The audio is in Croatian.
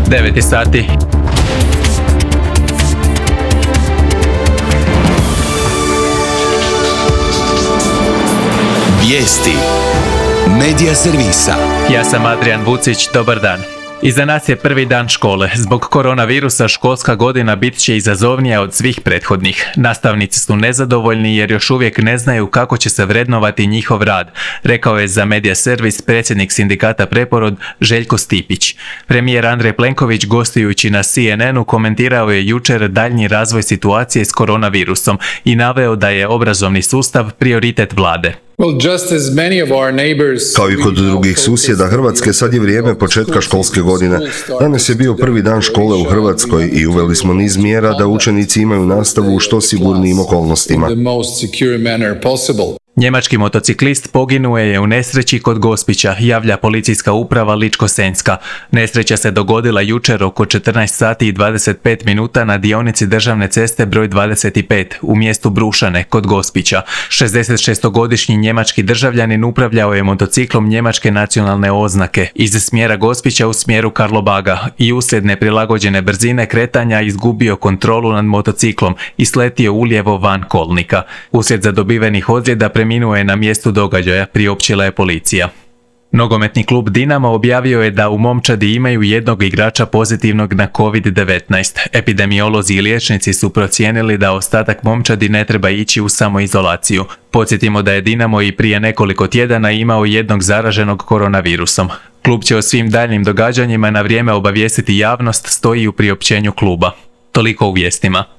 9 sati. Vijesti Medija servisa. Ja sam Adrian Vucić, dobar dan. Iza nas je prvi dan škole. Zbog koronavirusa školska godina bit će izazovnija od svih prethodnih. Nastavnici su nezadovoljni jer još uvijek ne znaju kako će se vrednovati njihov rad, rekao je za Medija servis predsjednik sindikata Preporod Željko Stipić. Premijer Andrej Plenković gostujući na CNN-u komentirao je jučer daljnji razvoj situacije s koronavirusom i naveo da je obrazovni sustav prioritet vlade. Kao i kod drugih susjeda Hrvatske, sad je vrijeme početka školske godine. Danas je bio prvi dan škole u Hrvatskoj i uveli smo niz mjera da učenici imaju nastavu u što sigurnijim okolnostima. Njemački motociklist poginuo je u nesreći kod Gospića, javlja policijska uprava Ličko-senjska. Nesreća se dogodila jučer oko 14 sati i 25 minuta na dionici državne ceste broj 25 u mjestu Brušane kod Gospića. 66-godišnji njemački državljanin upravljao je motociklom njemačke nacionalne oznake iz smjera Gospića u smjeru Karlobaga i uslijed neprilagođene brzine kretanja izgubio kontrolu nad motociklom i sletio ulijevo van kolnika. Uslijed zadobivenih ozljeda preminuo je na mjestu događaja, priopćila je policija. Nogometni klub Dinamo objavio je da u momčadi imaju jednog igrača pozitivnog na COVID-19. Epidemiolozi i liječnici su procijenili da ostatak momčadi ne treba ići u samoizolaciju. Podsjetimo da je Dinamo i prije nekoliko tjedana imao jednog zaraženog koronavirusom. Klub će o svim daljnjim događanjima na vrijeme obavijestiti javnost, stoji u priopćenju kluba. Toliko u vijestima.